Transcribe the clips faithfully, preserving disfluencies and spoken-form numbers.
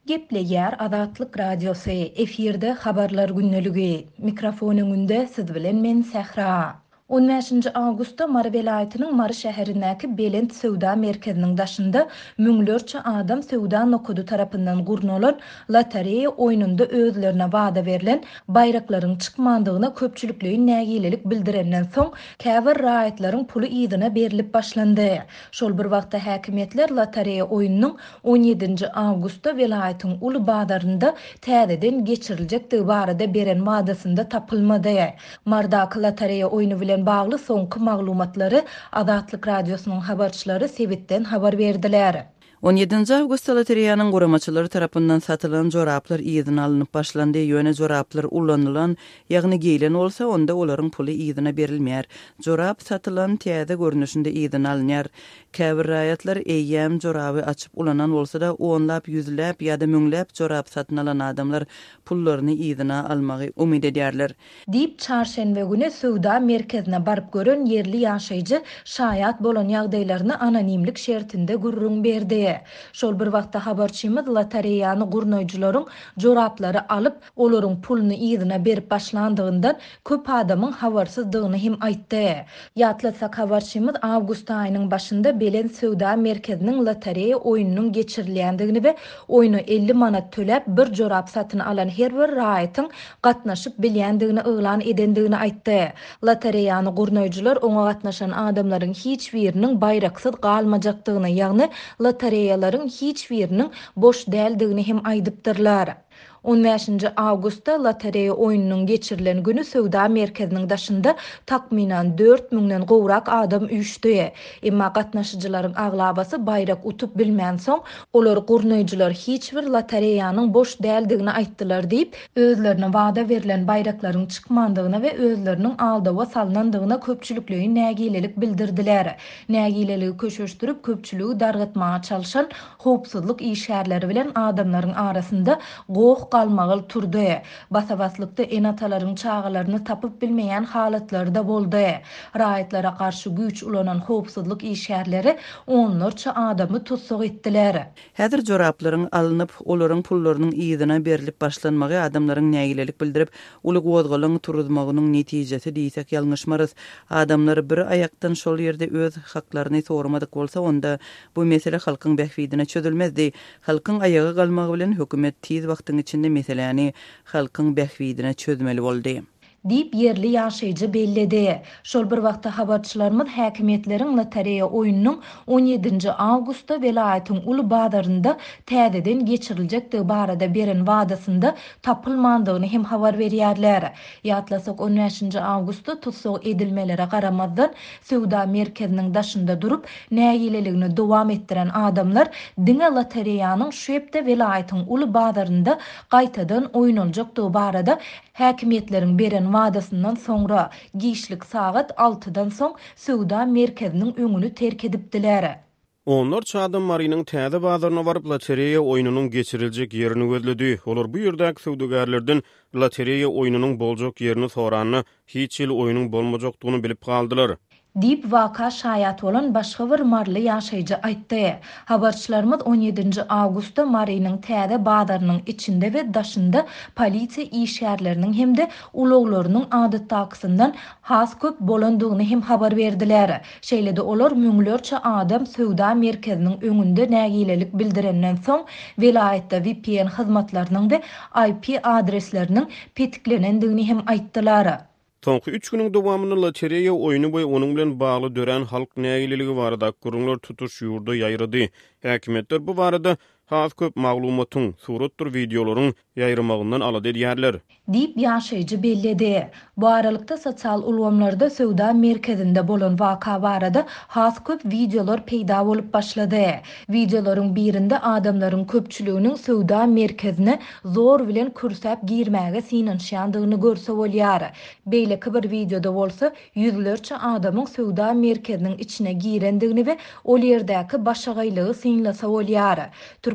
Gepleýär Azatlyk Radiosy, efirde Habarlar gündeligi. Mikrofon öňünde siz bilen men Sähra. On bäşinji awgustda Mary welaýatynyň Mary şäherindäki Belent söwda merkeziniň daşynda müňlerçe adam söwda nokady tarapyndan gurnalan lotereýa oýnunda özlerine wada berlen baýraklaryň çykmandygyna köpçülikleýin nägilelik bildirenden soň, käbir raýatlaryň puly yzyna berlip başlandy. Şol bir wagtda häkimiýetler lotereýa oýnunyň on ýedinji awgustda welaýatyň uly bazarynda täzeden geçiriljekdigi barada beren wadasynda tapylmady. Mardaky lotereýa oýny bilen bagly soňky maglumatlary Azatlyk Radiosynyň habarçylary sebitden habar berdiler. On ýedinji awgustda lotereýanyň guramaçylary tarapyndan satylan joraplar yzyna alnyp başlandy. Ýöne joraplar ulanylan, ýagny geýlen bolsa, onda olaryň puly yzyna berilmeýär. Jorap satylan täze görnüşinde yzyna alynýar. Käbir raýatlar eýýäm joraby açyp ulanan bolsa-da, onlap, ýüzläp ýa-da müňläp jorap satyn alan adamlar pullaryny yzyna almagy umyt edýärler. Diýip, çarşenbe güni söwda merkezine baryp gören ýerli ýaşaýjy şaýat bolan ýagdaýlaryny anonimlik şertinde gürrüň berdi. Şol bir wagtda habarçymyz lotereýany gurnaýjylaryň joraplary alyp, olaryň puluny yzyna berip başlandygyndan köp adamyň habarsyzdygyny hem aýtdy. Ýatlatsak, habarçymyz awgust aýynyň başynda Belent söwda merkeziniň lotereýa oýnunyň geçirilýändigini we oýna elli manat töläp bir jorap satyn alan her bir raýatyň gatnaşyp bilýändigini yglan edendigini aýtdy. Lotereýany gurnaýjylar oňa gatnaşan adamlaryň hiç biriniň baýraksyz galmajakdygyny, ýagny lotereýalaryň hiç biriniň boş däldigini hem aýdypdyrlar. On bäşinji awgustda lotereýa oýnunyň geçirilen günü söwda merkeziniň daşynda takmynan dört müňden gowrak adam üýşdi. Emma gatnaşyjylaryň aglabasy baýrak utup bilmänsoň, olar gurnaýjylar hiç bir lotereýanyň boş däldigini aýtdylar diýip, özlerine wada berlen baýraklaryň çykmandygyna we özleriniň aldawa salnandygyna köpçülikleýin nägilelik bildirdiler. Nägileligi köşeşdirip, köpçüligi dargatmaga çalşan howpsuzlyk işgärleri bilen adamlaryň arasynda goh galmagal turdy. Basabaslykda ene-atalaryň çagalaryny tapyp bilmeýän halatlary da boldy. Raýatlara garşy güýç ulanan howpsuzlyk işgärleri onlarça adamy tussag etdiler. Häzir joraplaryň alnyp, olaryň pullarynyň yzyna berlip başlanmagy adamlaryň nägilelik bildirip, uly gozgalaň turuzmagynyň netijesi diýsek ýalňyşmarys. Adamlar bir aýakdan şol ýerde öz haklaryny sormadyk bolsa, onda bu mesele halkyň bähbidine çözülmezdi. Halkyň aýaga galmagy bilen hökümet tiz wagtyň içinde meseläni halkyň bähbidine çözmeli boldy. Diýip ýerli ýaşaýjy belledi. Şol bir wagtda habarçylarymyz häkimiýetleriň lotereýa oýnunyň on ýedinji awgustda welaýatyň uly bazarynda täzeden geçiriljekdigi barada beren wadasynda tapylmandygyny hem habar berýärler. Ýatlasak, on bäşinji awgustda tussag edilmelere garamazdan söwda merkeziniň daşynda durup nägileligini dowam etdiren adamlar diňe lotereýanyň şu hepde welaýatyň uly bazarynda gaýtadan oýnaljakdygy barada häkimiýetleriň beren wadasyndan soňra giçlik sagat altydan soň söwda merkeziniň öňüni terk edipdiler. Onlarça adam Marynyň täze bazaryna baryp lotereýa oýnunyň geçiriljek ýerini gözledi. Olar bu ýerdäki söwdagärlerden lotereýa oýnunyň boljak ýerini soranda hiç hili oýnuň bolmajakdygyny bilip galdylar. Diýip waka şaýat bolan başga bir maryly ýaşaýjy aýtdy. Habarçylarymyz on ýedinji awgustda Marynyň täze bazarynyň içinde we daşynda polisiýa işgärleriniň hem-de ulaglarynyň adatdakysyndan has köp bolandygyny hem habar berdiler. Şeýle-de olar müňlerçe adam söwda merkeziniň öňünde nägilelik bildirenden soň welaýatda V P N hyzmatlarynyň we I P adresleriniň petiklenendigini hem aýtdylar. Soňky üç günüň dowamynda lotereýa oýny we onuň bilen bagly dörän halk nägileligi barada gürrüňler tutuş ýurda ýaýrady. Häkimiýetler bu barada has köp maglumatyň, suratdyr wideolaryň ýaýramagyndan alada edýärler. Diýip ýaşaýjy belledi. Bu aralykda sosial ulgamlarda söwda merkezinde bolan waka barada has köp wideolar peýda bolup başlady. Wideolaryň birinde adamlaryň köpçüliginiň söwda merkezine zor bilen kürsäp girmäge synanyşýandygyny görse bolýar. Beýleki bir wideoda bolsa ýüzlerçe adamyň söwda merkeziniň içine girendigini we ol ýerdäki başagaýlygy synlasa bolýar.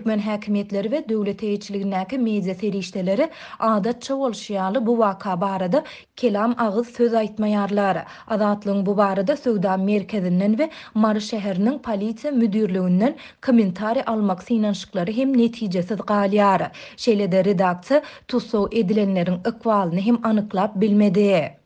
Türkmen häkimiýetleri we döwlet eýeçiligindäki media serişdeleri adatça bolşy ýaly bu waka barada kelam agyz söz aýtmaýarlar. Azatlygyň bu barada söwda merkezinden we Mary şäheriniň polisiýa müdirliginden kommentariý almak synanyşyklary hem netijesiz galýar. Şeýle-de redaksiýa tussag edilenleriň ykbalyny hem anyklap bilmedi.